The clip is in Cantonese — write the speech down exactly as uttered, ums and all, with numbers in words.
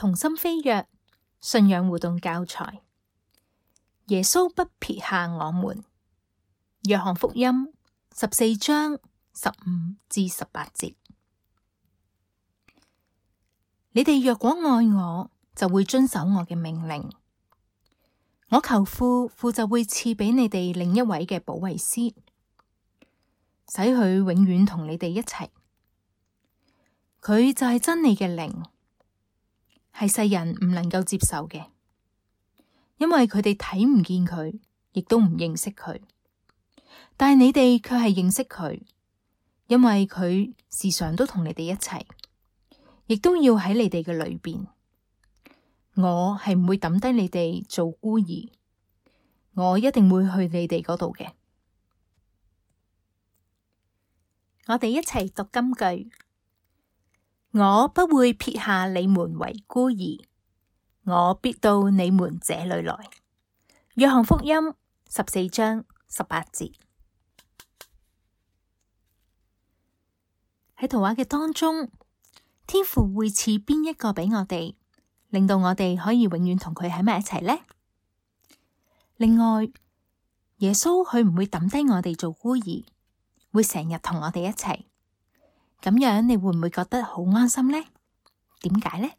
同心飛躍信仰互動教材。耶穌不撇下我們。約翰福音十四章十五至十八節。你哋若果愛我，就會遵守我嘅命令。我求父，父就會賜俾你哋另一位嘅保惠師，使佢永遠同你哋一齊。佢就係真理嘅靈，係世人唔能夠接受嘅，因為佢哋睇唔見佢，亦都唔認識佢。但係你哋卻係認識佢，因為佢時常都同你哋一齊，亦都要喺你哋嘅裏邊。我係唔會抌低你哋做孤兒，我一定會去你哋嗰度嘅。我哋一齊讀金句：我不會撇下你們為孤兒，我必到你們這裏來。約翰福音十四章十八節。喺圖畫嘅當中，天父會賜邊一個俾我哋，令到我哋可以永遠同佢喺埋一齊呢？另外，耶穌佢唔會抌低我哋做孤兒，會成日同我哋一齊。咁樣你會唔會覺得好安心呢？點解呢？